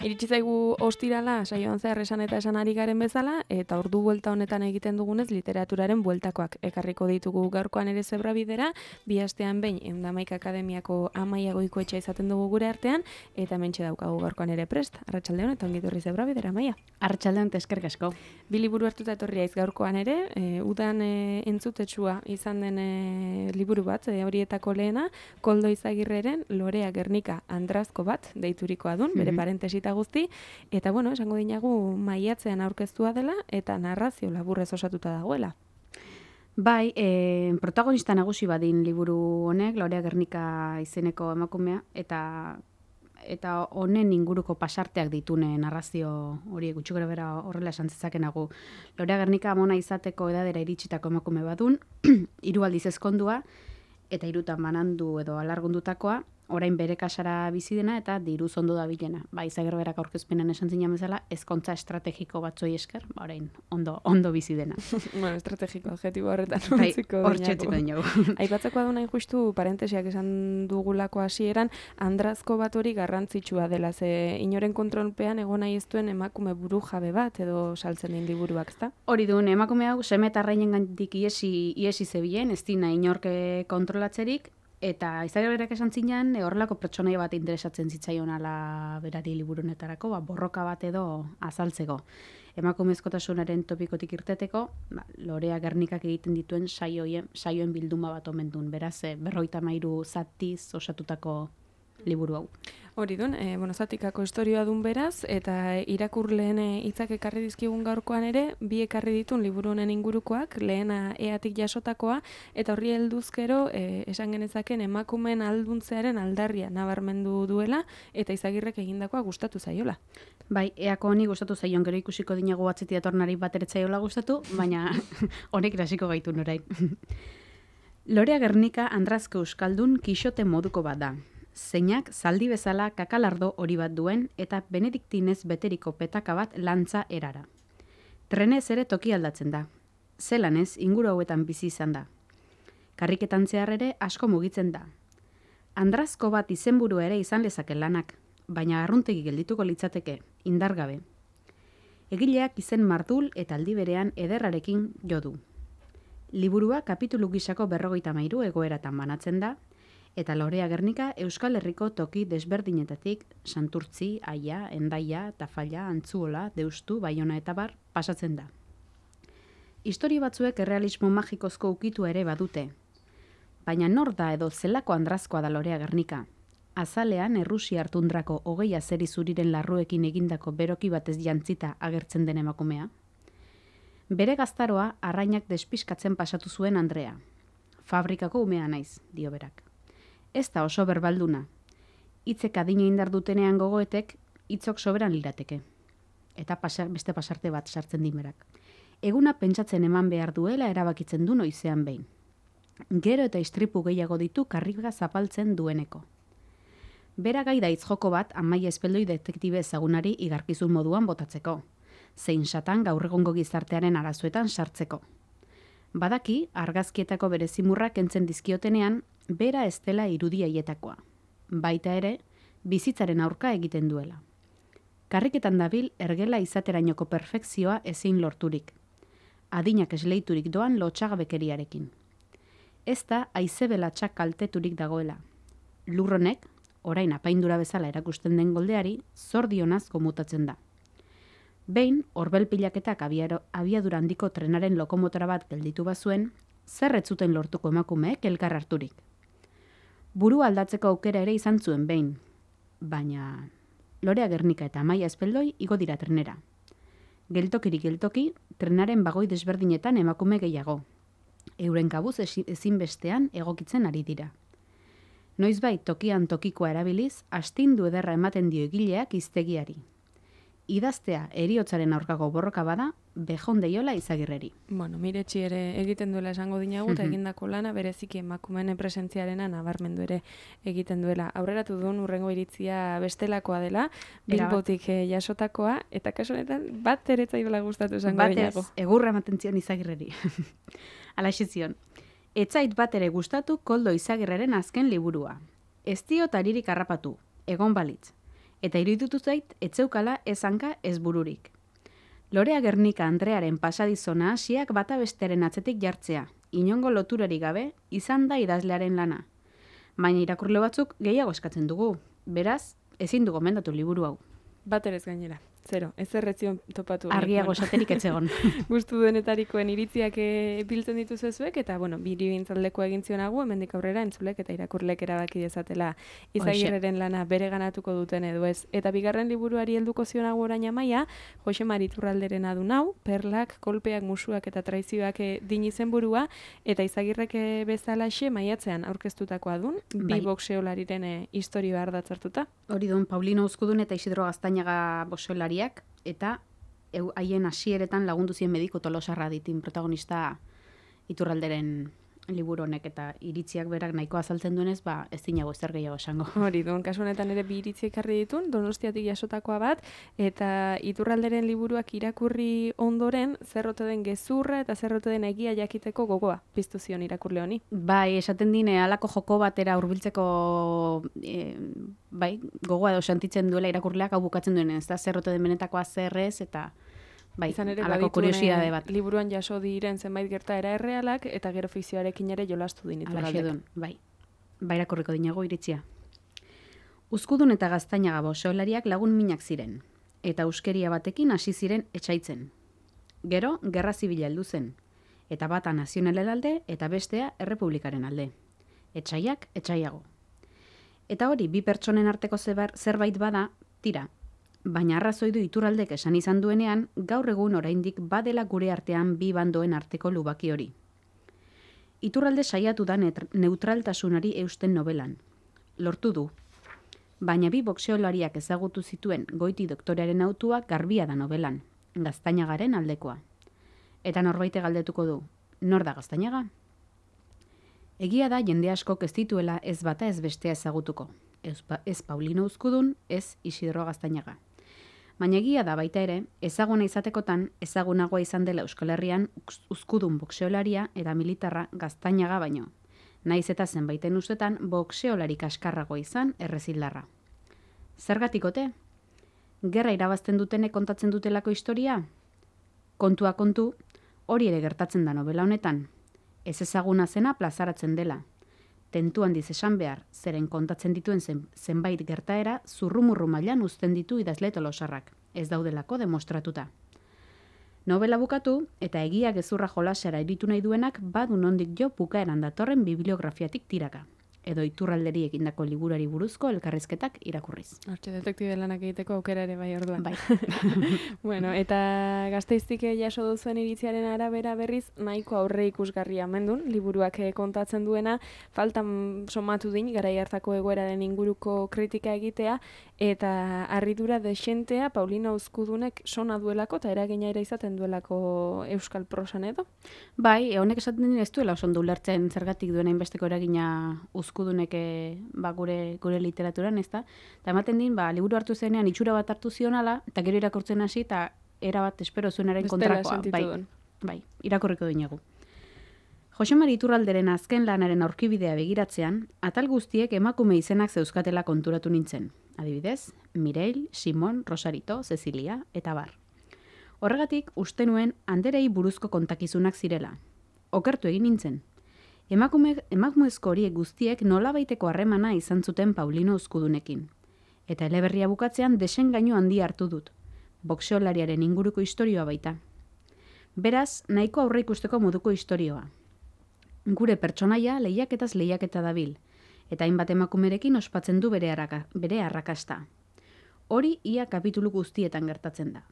Iritsi zaigu ostirala, saioan zehar esan eta esan ari garen bezala, eta ordu buelta honetan egiten dugunez literaturaren bueltakoak ekarriko ditugu gaurkoan ere Zebrabidera, bi astean behin Eundamaik Akademiako Amaia Goikoetxea izaten dugu gure artean, eta hementxe daukagu gaurkoan ere prest. Arratsaldeon eta ongi etorri Zebrabidera, Amaia. Arratsaldeon eta eskerrik asko. Bi liburu hartuta etorri haiz gaurkoan ere, udan entzutetsua izan den liburu bat, horietako lehena, Koldo Izagirreren Lorea Gernika Andrazko bat deiturikoa dun, bere parentesita guzti, eta bueno, esango dinagu maiatzean aurkeztua dela eta narrazio laburrez osatuta dagoela. Bai, protagonista nagusi badin liburu honek, Lorea Gernika izeneko emakumea, eta honen inguruko pasarteak ditune narrazio horiek gutxi gorabehera horrela esan zezakenagu. Lorea Gernika amona izateko edadera iritsitako emakume badun, 3 aldiz ezkondua, eta 3 banandu edo alargundutakoa, orain bere kasara bizi dena eta diruz ondo dabilena. Ba, Izagirberak aurkezpenan esan zinan bezala, ezkontza estrategiko batzoi esker, orain ondo bizi dena. Bueno, estrategiko adjetibo horretan Bai, utziko hortxetziko dinagu. Aipatzekoa du nahi justu parentesiak esan dugulako hasieran, Andrazko bat hori garrantzitsua dela, ze inoren kontrolpean egon nahi ez duen emakume buru jabe bat edo saltzen din liburuak, ezta? Hori duen, emakume hau seme eta arrainengandik iesi zebilen, ez dina inorke kontrolatzerik, eta Izagirberak esan zinan, horrelako pertsonaia bat interesatzen zitzaion ala berari liburu honetarako, borroka bat edo azaltzeko. Emakumezkotasunaren topikotik irteteko, Lorea Gernikak egiten dituen saioen bilduma bat omen duen, beraz, 53 zatiz osatutako liburu hau. Hori dun, zatikako historioa dun beraz, eta irakurleen hitzak ekarri dizkigun gaurkoan ere, bi ekarri ditun liburu honen ingurukoak, lehena eatik jasotakoa, eta horri helduzkero esan genezaken emakumeen alduntzearen aldarria nabarmendu duela, eta Izagirrek egindakoa gustatu zaiola. Bai, eako honi gustatu zaion, gero ikusiko dinagu atzetik datornari bat eretzaiola gustatu, baina honek irasiko gaitu norain. Lorea Gernika Andrazko euskaldun kixote moduko bat da. Zeinak zaldi bezala kakalardo hori bat duen eta benediktinez beteriko petaka bat lantza erara. Trenez ere toki aldatzen da. Zelanez inguru hauetan bizi izan da. Karriketan zehar ere asko mugitzen da. Andrazko bat izenburu ere izan lezake lanak, baina arruntegi geldituko litzateke, indargabe. Egileak izen mardul eta aldi berean ederrarekin jo du. Liburua kapitulu gisako 53 egoeratan banatzen da, eta Lorea Gernika Euskal Herriko toki desberdinetatik Santurtzi, Aia, Hendaia, Tafalla, Antzuola, Deustu, Baiona eta bar pasatzen da. Historia batzuek errealismo magikozko ukitu ere badute. Baina nor da edo zelako Andrazkoa da Lorea Gernika? Azalean Errusiar tundrako 20 azeri zuriren larruekin egindako beroki batez jantzita agertzen den emakumea. Bere gaztaroa arrainak despiskatzen pasatu zuen Andrea. Fabrikako umea naiz, dio berak. Ez da oso berbalduna. Hitzek adina indar dutenean gogoetek, hitzok soberan lirateke. Eta beste pasarte bat sartzen dimerak. Eguna pentsatzen eman behar duela erabakitzen du noizean behin. Gero eta istripu gehiago ditu karriga zapaltzen dueneko. Bera gai da joko bat Amaia Espeldoi detektibe ezagunari igarkizun moduan botatzeko. Zein satan gaur egungo gizartearen arazoetan sartzeko. Badaki, argazkietako bere zimurrak entzen dizkiotenean, bera ez dela irudia hietakoa. Baita ere, bizitzaren aurka egiten duela. Karriketan dabil ergela izaterainoko perfekzioa ezin lorturik. Adinak esleiturik doan lotxagabekeriarekin. Ez da haizebelatxak kalteturik dagoela. Lurronek, orain apaindura bezala erakusten den goldeari, zordionaz komutatzen da. Behin, orbelpilaketak abiadura handiko trenaren lokomotora bat gelditu bazuen, zer ez zuten lortuko emakumeek elkar harturik. Buru aldatzeko aukera ere izan zuen behin, baina Lorea Gernika eta Amaia Espeldoi igo dira trenera. Geltokirik geltoki, trenaren bagoi desberdinetan emakume gehiago. Euren kabuz ezinbestean egokitzen ari dira. Noizbait tokian tokikoa erabiliz, astindu ederra ematen dio egileak hiztegiari. Idaztea eriotzaren aurkako borroka bada, bejon deiola Izagirreri. Bueno, miretsi ere egiten duela esango dinagu, eta egindako lana bereziki emakumeen presentziarena nabarmendu ere egiten duela. Aurreratu duen urrengo iritzia bestelakoa dela, Bilbotik jasotakoa, eta kasu honetan bat ere zaidola gustatu esango dinagu. Batez, egurra ematen zion Izagirreri. Alaxe zion. Etzait bat ere gustatu Koldo Izagirreren azken liburua. Ez diot aririk harrapatu, egon balitz. eta iruditu zait etzeukala ez hanka ez bururik. Lorea Gernika Andrearen pasadizona hasiak bata bestearen atzetik jartzea, inongo loturarik gabe, izan da idazlearen lana. Baina irakurle batzuk gehiago eskatzen dugu, beraz, ezin du gomendatu liburu hau. Bat ere ez gainera. Zero, ez erretzion topatu. Argiago esaterik etzegon. Gustu duenetarikoen iritziak biltzen dituzu zuek, eta, bueno, biri bintzaldeko egin zionagu, hemendik aurrera entzulek eta irakurlek erabaki dezatela Izagirreren lana bere ganatuko duten edo ez. Eta bigarren liburuari helduko zionagu orain Amaia, Jose Mari Iturralderen adun hau, perlak, kolpeak, musuak eta traizioak din izenburua, eta Izagirrek bezalaxe maiatzean aurkeztutakoa dun, bi boxeolariren historioa ardatzartuta. Hori duen, Paulino Uzkudun eta Isidro Gaztañaga boxeolariak, eta haien hasieretan lagundu zien Mediku Tolosarra ditin protagonista Iturralderen liburu honek, eta iritziak berak nahiko azaltzen duenez, ez dinago ezer gehiago esango. Hori duen, kasu honetan ere bi iritzi ekarri ditun, Donostiatik jasotakoa bat, eta Iturralderen liburuak irakurri ondoren, zerrote den gezurra eta zerrote den egia jakiteko gogoa piztu zion irakurle honi. Bai, esaten dine, halako joko batera hurbiltzeko gogoa edo sentitzen duela irakurleak hau bukatzen duen, ez da zerrote den benetakoa zerrez, eta izan ere, halako kuriosidade bat. Liburuan jaso diren zenbait gertaera errealak, eta gero fikzioarekin ere jolastu din Iturraldek. Bai irakurriko dinago iritzia. Uzkudun eta Gaztañaga boxeolariak lagun minak ziren, eta euskeria batekin hasi ziren etsaitzen. Gero, gerra zibila heldu zen, eta bata nazionalen alde eta bestea errepublikaren alde. Etsaiak, etsaiago. Eta hori, bi pertsonen arteko zerbait bada, tira, baina arrazoi du Iturraldek esan izan duenean, gaur egun oraindik badela gure artean bi bandoen arteko lubaki hori. Iturralde saiatu da neutraltasunari eusten nobelan. Lortu du. Baina bi boxeolariak ezagutu zituen Goiti doktorearen autua garbia da nobelan, Gaztañagaren aldekoa. Eta norbaite galdetuko du, nor da Gaztañaga? Egia da jende askok ez dituela ez bata ez bestea ezagutuko. Ez Paulino Uzkudun, ez Isidro Gaztañaga. Baina egia da baita ere, ezaguna izatekotan ezagunagoa izan dela Euskal Herrian Uzkudun boxeolaria eta militarra Gaztañaga baino. Naiz eta zenbaiten ustetan boxeolari kaskarragoa izan errezildarra. Zergatikote? Gerra irabazten dutenek kontatzen dutelako historia? Kontua kontu, hori ere gertatzen da novela honetan. Ez ezaguna zena plazaratzen dela. Tentu handiz esan behar, zeren kontatzen dituen zenbait gertaera zurrumurru mailan uzten ditu idazle Tolosarrak, ez daudelako demostratuta. Novela bukatu eta egia gezurra jolasera iritu nahi duenak badu nondik jo bukaeran datorren bibliografiatik tiraka, edo Iturralderi egindako liburuari buruzko elkarrizketak irakurriz. Hortxe, detektibe lanak egiteko aukera ere bai orduan. Bai. Bueno, eta Gasteiztik jaso duzuen iritziaren arabera berriz, nahiko aurre ikusgarria mendun, liburuak kontatzen duena, faltan somatu din, garai hartako egoeraren inguruko kritika egitea, eta harridura desentea Paulino Uzkudunek sona duelako, eta eragina ere izaten duelako euskal prosan edo? Bai, honek esaten din ez duela oso ondo ulertzen zergatik duena inbesteko eragina Uzkudunek gure literaturan, ezta? Eta ematen din, liburu hartu zenean itxura bat hartu zionala, eta gero irakurtzen hasi, eta erabat espero zuenaren kontrakoa. Bai, irakurriko dinagu. Jose Mari Iturralderen azken lanaren aurkibidea begiratzean, atal guztiek emakume izenak zeuzkatela konturatu nintzen. Adibidez, Mireil, Simon, Rosarito, Cecilia, eta bar. Horregatik, uste nuen anderei buruzko kontakizunak zirela. Okertu egin nintzen. Emakumezko horiek guztiek nolabaiteko harremana izan zuten Paulino Uzkudunekin. Eta eleberria bukatzean desengainu handia hartu dut. Boxeolariaren inguruko istorioa baita. Beraz, nahiko aurre ikusteko moduko istorioa. Gure pertsonaia lehiaketaz lehiaketa dabil, eta hainbat emakumerekin ospatzen du bere arrakasta. Hori ia kapitulu guztietan gertatzen da.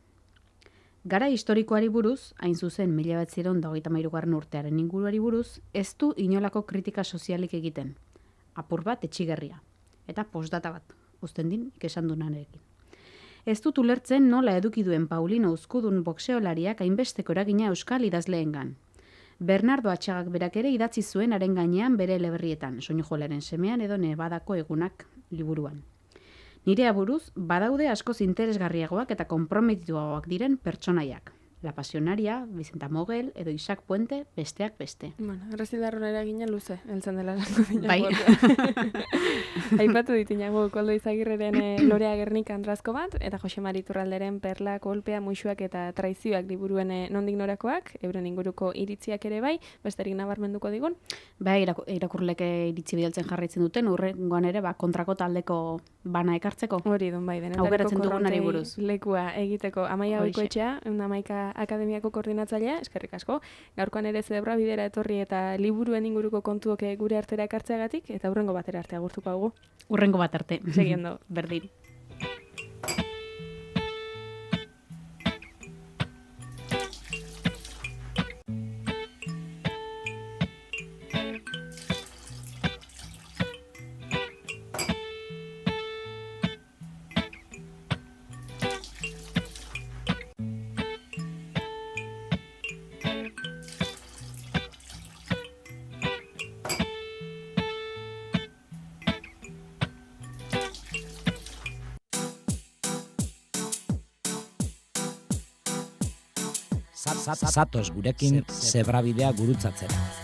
Gara historikoari buruz, hain zuzen 1933 urtearen inguruari buruz, ez du inolako kritika sozialik egiten. Apur bat etxigerria. Eta postdata bat, uzten din ikesan dunanekin. Ez dut ulertzen nola eduki duen Paulino Uzkudun boxeolariak hainbesteko eragina euskal idazleengan. Bernardo Atxagak berak ere idatzi zuen haren gainean bere eleberrietan, Soinujolaren semean edo Nebadako egunak liburuan. Nire aburuz, badaude askoz interesgarriagoak eta konprometituagoak diren pertsonaiak. La Pasionaria, Vicenta Mogel edo Isaac Puente besteak beste. Bueno, Errezidarron eragina luze, heltzen dela lango dinago. Bai. Aipatu ditinago Koldo Izagirreren Lorea Gernika Andrazko bat, eta Jose Mari Iturralderen Perla, Kolpea, Muixuak eta Traizioak liburuen nondik norakoak, euren inguruko iritziak ere bai, besterik nabarmenduko digun. Bai, irakurlek iritzi bidaltzen jarraitzen duten, urrengoan ere kontrako taldeko bana ekartzeko. Hori dun bai, Aukeratzen dugunari buruz. Lekua egiteko Amaia Horixe. Goikoetxea, Amaika Akademiako koordinatzailea, eskerrik asko. Gaurkoan ere Zebra bidera etorri eta liburuen inguruko kontuok gure artera ekartzeagatik, eta hurrengo batera arte agurtuko dugu. Urrengo bat arte. Segiendo. Berdin. Zatoz gurekin zebrabidea gurutzatzera.